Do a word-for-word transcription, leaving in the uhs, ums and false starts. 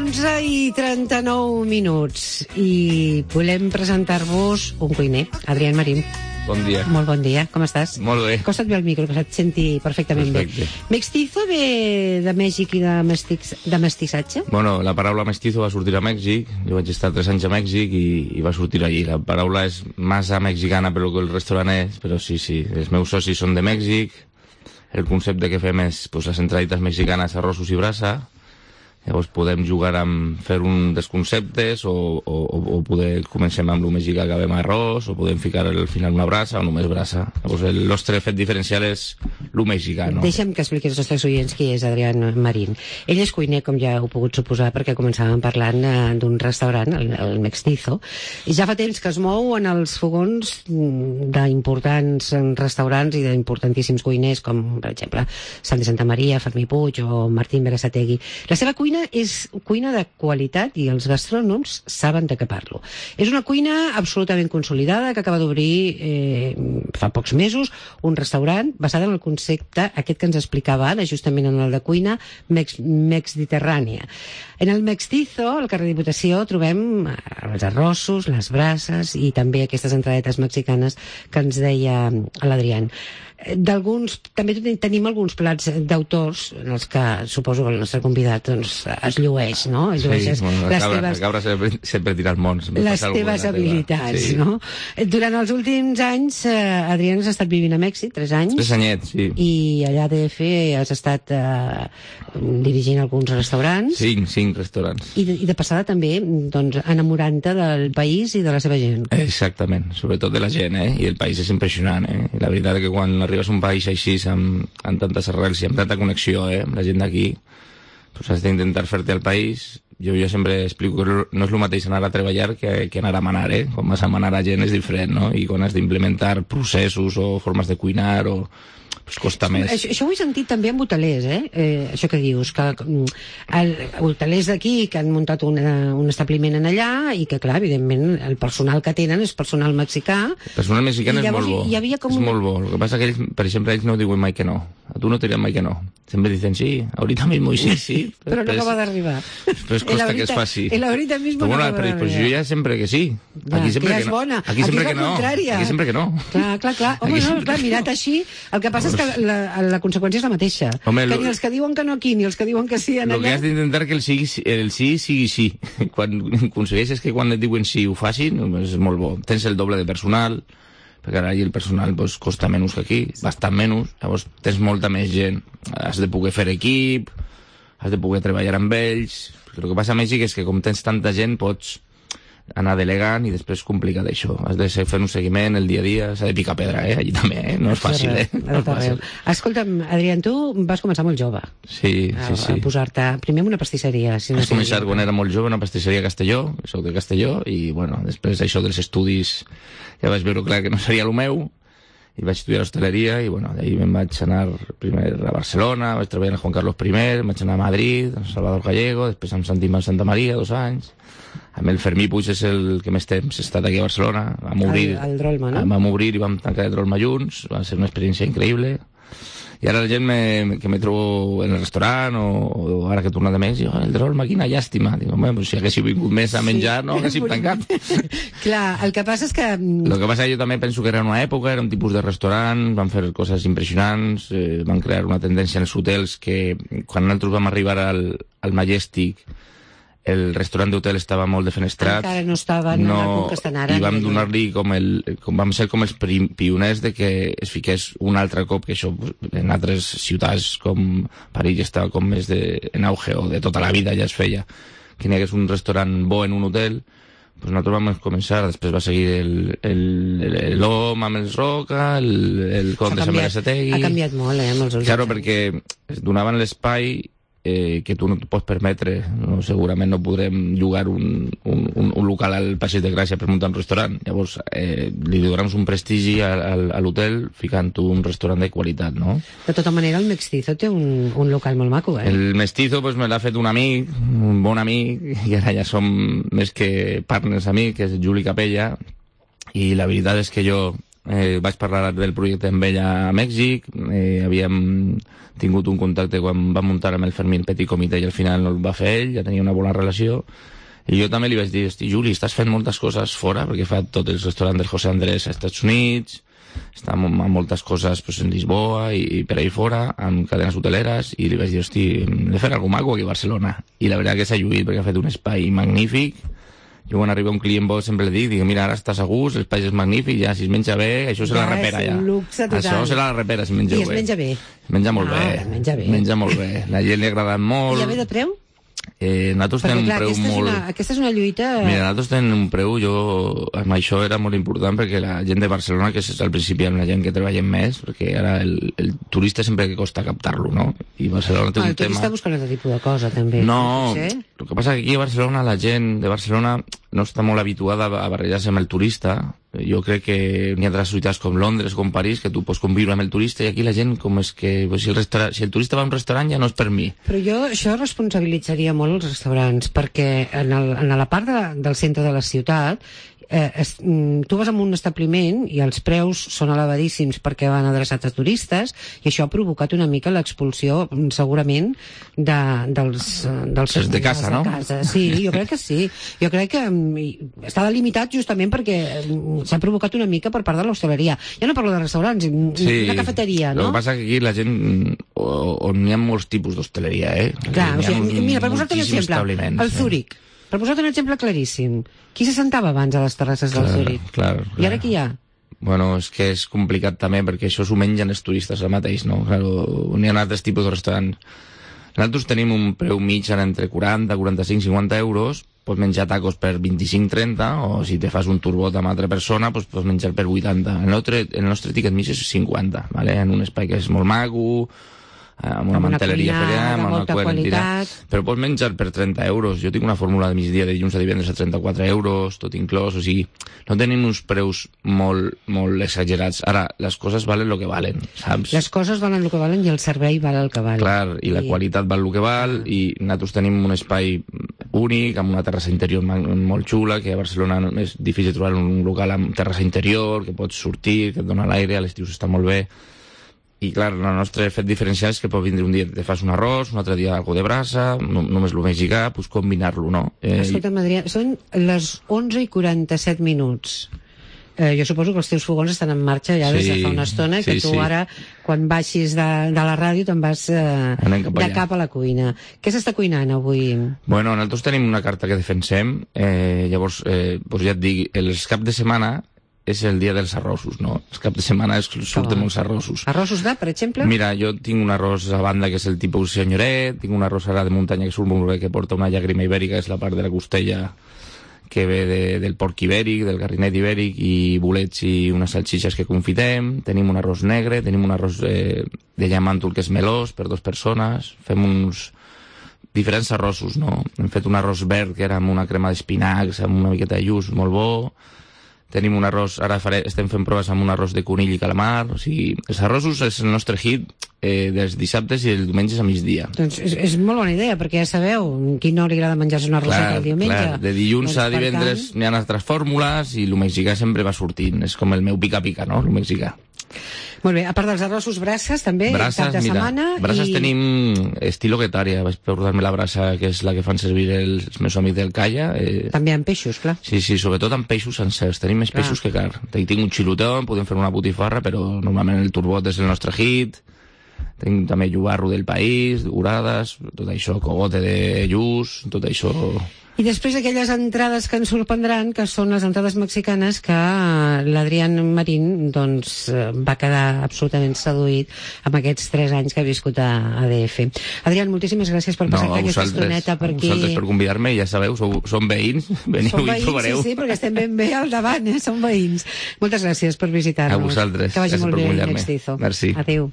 onze i trenta-nou minuts i volem presentar-vos un cuiner, Adrián Marín. Bon dia. Molt bon dia, com estàs? Molt bé. Acosta't bé al micro, que se't senti perfectament Perfecte. bé. Mestizo ve de Mèxic i de, mestic, de mestissatge? Bueno, la paraula mestizo va sortir a Mèxic, jo vaig estar tres anys a Mèxic i, i va sortir allí. La paraula és massa mexicana per lo que el restaurant és, però sí, sí, els meus socis són de Mèxic, el concepte que fem és pues, les entradites mexicanes, arrossos i brasa. Llavors podem jugar amb fer un dels conceptes o, o, o poder comencem amb el mexicà, acabem amb arròs, o podem ficar al final una brasa o només brasa. Llavors el nostre fet diferencial és el mexicà, no? Deixa'm que expliqui als nostres oients qui és Adrián Marín. Ell és cuiner, com ja heu pogut suposar, perquè començàvem parlant eh, d'un restaurant, el, el Mestizo, i ja fa temps que es mou en els fogons d'importants restaurants i d'importantíssims cuiners, com per exemple Sant de Santa Maria, Fermí Puig o Martín Berasategui. La seva cuina és cuina de qualitat i els gastrònoms saben de què parlo. És una cuina absolutament consolidada que acaba d'obrir eh, fa pocs mesos un restaurant basat en el concepte aquest que ens explicava ara, justament en el de cuina mex mediterrània. En el Mestizo, al carrer Diputació, trobem els arrossos, les brases i també aquestes entradetes mexicanes que ens deia l'Adrián. D'alguns, també tenim alguns plats d'autors en els que suposo que el nostre convidat doncs, es llueix, no? Es llueix sí, bueno, les cabra, teves, cabra sempre, sempre tira els mons. Les teves habilitats, sí. No? Durant els últims anys, eh, Adrián, has estat vivint a Mèxic, tres anys. Tres anyets, sí. I allà a D F has estat eh, dirigint alguns restaurants. Cinc, cinc restaurants. I de, i de passada també, doncs, enamorant-te del país i de la seva gent. Exactament, sobretot de la gent, eh? I el país és impressionant, eh? I la veritat és que quan arribes a un país així, amb, amb tantes arrels i amb tanta connexió, eh? Amb la gent d'aquí, pues has d'intentar fer-te al país. Jo, jo sempre explico que no és el mateix anar a treballar que, que anar a manar, eh? Quan vas a manar a gent és diferent, no? I quan has d'implementar processos o formes de cuinar o... pues costa més. Això, això ho he sentit també amb hotelers, eh? eh això que dius, que el, hotelers d'aquí que han muntat una, un establiment en allà i que, clar, evidentment, el personal que tenen és personal mexicà. El personal mexicà és molt bo. Hi havia com és un... molt bo. El que passa que ells, per exemple, ells no diuen mai que no. A tu no te diran mai que no. Sempre dicen sí, ahorita mismo y sí, sí. Però no acaba d'arribar. Però es costa que es faci. El ahorita mismo no acaba d'arribar. Però jo ja sempre que sí. Aquí sempre que ja que és no. bona. Aquí sempre Aquí que no. Aquí sempre que no. Clar, clar, clar. Home, no, clar, mirat així, el que passa és que la, la conseqüència és la mateixa. Home, que lo... ni els que diuen que no aquí, ni els que diuen que sí en allà... El que has d'intentar que el, sigui, el sí sigui sí. Quan aconsegueixes que quan et diuen sí ho facin, és molt bo. Tens el doble de personal, perquè ara el personal pues, costa menys que aquí, bastant menys, llavors tens molta més gent. Has de poder fer equip, has de poder treballar amb ells... El que passa a Mèxic és que com tens tanta gent pots anar delegant i després complica d'això. Has de fer un seguiment el dia a dia, s'ha de picar pedra, eh? Allí també, eh? No és fàcil, eh? No és fàcil. Escolta'm, Adrián, tu vas començar molt jove. Sí, sí, sí. A posar-te, primer en una pastisseria. Si no Vaig començar quan era molt jove, una pastisseria a Castelló, soc de Castelló, i bueno, després d'això dels estudis ja vaig veure clar que no seria el meu, i vaig estudiar hostaleria, i bueno, d'ahir me'n vaig anar primer a Barcelona, vaig treballar amb Juan Carlos primer, vaig anar a Madrid, amb Salvador Gallego, després amb Sant Imán Santa Maria, dos anys, amb el Fermí Puig és el que més temps he estat aquí a Barcelona, vam obrir, el, el Drolma, no? Vam obrir i vam tancar el Drolma junts, va ser una experiència increïble. I ara la gent me, que me trobo en el restaurant o, o ara que he tornat de més, diu, el Drolma, quina llàstima. Dic, home, pues, si haguéssiu vingut més a menjar, sí, no haguéssim tancat. Clar, el que passa és que... El que passa que jo també penso que era una època, era un tipus de restaurant, van fer coses impressionants, eh, van crear una tendència en els hotels que quan nosaltres vam arribar al, al Majestic, el restaurant d'hotel estava molt defenestrat. Encara no estava no, en el punt que estan ara. I vam donar-li com el... Com vam ser com els pioners de que es fiqués un altre cop, que això en altres ciutats com París estava com més de, en auge, o de tota la vida ja es feia, que n'hi hagués un restaurant bo en un hotel. Pues nosaltres vam començar, després va seguir l'O M amb els Roca, el, el Conde Sant Berasategui. Ha canviat molt, eh, amb els últims. Claro, perquè es donaven l'espai eh, que tu no et pots permetre. No, segurament no podrem llogar un, un, un, un local al Passeig de Gràcia per muntar un restaurant. Llavors, eh, li donem un prestigi a, a, a l'hotel ficant-ho un restaurant de qualitat, no? De tota manera, el Mestizo té un, un local molt maco, eh? El Mestizo pues, me l'ha fet un amic, un bon amic, i ara ja som més que partners amics, que és Juli Capella, i la veritat és que jo eh, vaig parlar del projecte amb ella a Mèxic, eh, havíem tingut un contacte quan va muntar amb el Fermín Petit Comitè i al final no el va fer ell, ja tenia una bona relació, i jo també li vaig dir, hosti, Juli, estàs fent moltes coses fora, perquè fa tots els restaurants del José Andrés als Estats Units, està amb moltes coses pues, en Lisboa i, i per ahí fora, amb cadenes hoteleres, i li vaig dir, hosti, hem de fer alguna cosa aquí a Barcelona. I la veritat que s'ha lluït, perquè ha fet un espai magnífic. Jo quan arriba un client bo sempre li dic, dic, mira, ara estàs a gust, l'espai és magnífic, ja, si es menja bé, això serà la repera, ja. Això serà la repera, si menja bé. I es menja bé. Es menja molt ah, bé. Menja bé. Menja molt bé. La gent li ha agradat molt. I ja ve de preu? Eh, nosaltres perquè, tenim clar, un preu aquesta molt... És una, aquesta és una lluita... Mira, nosaltres tenim un preu, jo... Amb això era molt important perquè la gent de Barcelona, que és al principi amb la gent que treballem més, perquè ara el, el turista sempre que costa captar-lo, no? I Barcelona té ah, un el turista tema... busca un altre tipus de cosa, també. No, sí? el que passa que aquí a Barcelona la gent de Barcelona no està molt habituada a barrejar-se amb el turista. Jo crec que n'hi ha altres ciutats com Londres, com París, que tu pots conviure amb el turista, i aquí la gent com és que pues, si, el si el turista va a un restaurant ja no és per mi. Però jo això responsabilitzaria molt els restaurants, perquè en, el, en la part de, del centre de la ciutat eh, es, tu vas a un establiment i els preus són elevadíssims perquè van adreçats a turistes, i això ha provocat una mica l'expulsió segurament de, dels, dels és de casa, de no? Casa. Sí, jo crec que sí. Jo crec que està delimitat justament perquè s'ha provocat una mica per part de l'hostaleria. Ja no parlo de restaurants, sí, una cafeteria, no? El que passa que aquí la gent, on hi ha molts tipus d'hostaleria, eh? Clar, o sigui, mira, per posar-te un exemple, el Zúrich. Per posar un exemple claríssim, qui se sentava abans a les terrasses del Zúrich? Clar, clar. I ara qui hi ha? Bueno, és que és complicat també, perquè això s'ho mengen els turistes al mateix, no? Claro, n'hi ha altres tipus de restaurants. Nosaltres tenim un preu mig entre quaranta, quaranta-cinc, cinquanta euros, pots menjar tacos per vint-i-cinc, trenta, o si te fas un turbot amb altra persona, pues pots menjar per vuitanta. El nostre, el nostre ticket mig és cinquanta, ¿vale? En un espai que és molt maco, amb una, una manteleria ferial, amb una qualitat, però pots menjar per trenta euros. Jo tinc una fórmula de migdia de dilluns a divendres a trenta-quatre euros, tot inclòs, o sigui, no tenim uns preus molt, molt exagerats. Ara, les coses valen el que valen, saps? Les coses valen el que valen i el servei val el que val. Clar, i la I... qualitat val el que val, i nosaltres tenim un espai únic, amb una terrassa interior molt xula, que a Barcelona és difícil trobar un local amb terrassa interior, que pots sortir, que et dona l'aire, a l'estiu està molt bé. I clar, el nostre fet diferencial és que pot vindre un dia te fas un arròs, un altre dia algo de brasa, no, només el mexicà, pues combinar-lo, no? Eh, Escolta'm, Adrià, són les onze i quaranta-set minuts. Eh, jo suposo que els teus fogons estan en marxa ja des de fa una estona, i que sí, tu sí. ara, quan baixis de, de la ràdio, te'n vas eh, cap de cap a la cuina. Què s'està cuinant avui? Bueno, nosaltres tenim una carta que defensem, eh, llavors, eh, pues ja et dic, els caps de setmana és el dia dels arrossos, no? Els cap de setmana es surten molts arrossos. Arrossos de, per exemple? Mira, jo tinc un arròs a banda que és el tipus senyoret, tinc un arròs ara de muntanya que surt molt bé, que porta una llàgrima ibèrica, que és la part de la costella que ve de, del porc ibèric, del garrinet ibèric, i bolets i unes salsitxes que confitem. Tenim un arròs negre, tenim un arròs eh, de llamàntol que és melós per dues persones, fem uns diferents arrossos, no? Hem fet un arròs verd que era amb una crema d'espinacs, amb una miqueta de lluç, molt bo. Tenim un arròs, ara faré, estem fent proves amb un arròs de conill i calamar, o sigui, els arrossos és el nostre hit eh, dels dissabtes i els diumenges a migdia. Doncs és, és molt bona idea, perquè ja sabeu, qui no li agrada menjar-se un arròs el diumenge. Clar, de dilluns doncs, a divendres tant... n'hi ha altres fórmules i el mexicà sempre va sortint, és com el meu pica-pica, no?, el mexicà. Molt bé, a part dels arrossos, brasses també, brasses, cap de mira, setmana. Brasses i... tenim estilo guetària, vaig portar-me la brassa que és la que fan servir els, els meus amics del Calla. Eh... També amb peixos, clar. Sí, sí, sobretot amb peixos sencers, tenim més clar. Peixos que car. Tinc un xilotó, podem fer una botifarra, però normalment el turbot és el nostre hit. Tinc també llobarro del país, orades, tot això, cogote de lluç, tot això... I després aquelles entrades que ens sorprendran, que són les entrades mexicanes, que l'Adrián Marín doncs, va quedar absolutament seduït amb aquests tres anys que ha viscut a A D F. Adrián, moltíssimes gràcies per passar no, aquesta estoneta per aquí. A vosaltres per convidar-me, ja sabeu, sou, som veïns, veniu som veïns, i trobareu. Sí, sí, perquè estem ben bé al davant, eh? Som veïns. Moltes gràcies per visitar-nos. A vosaltres, que vagi gràcies molt per bé, convidar-me. Mextizo. Merci. Adéu.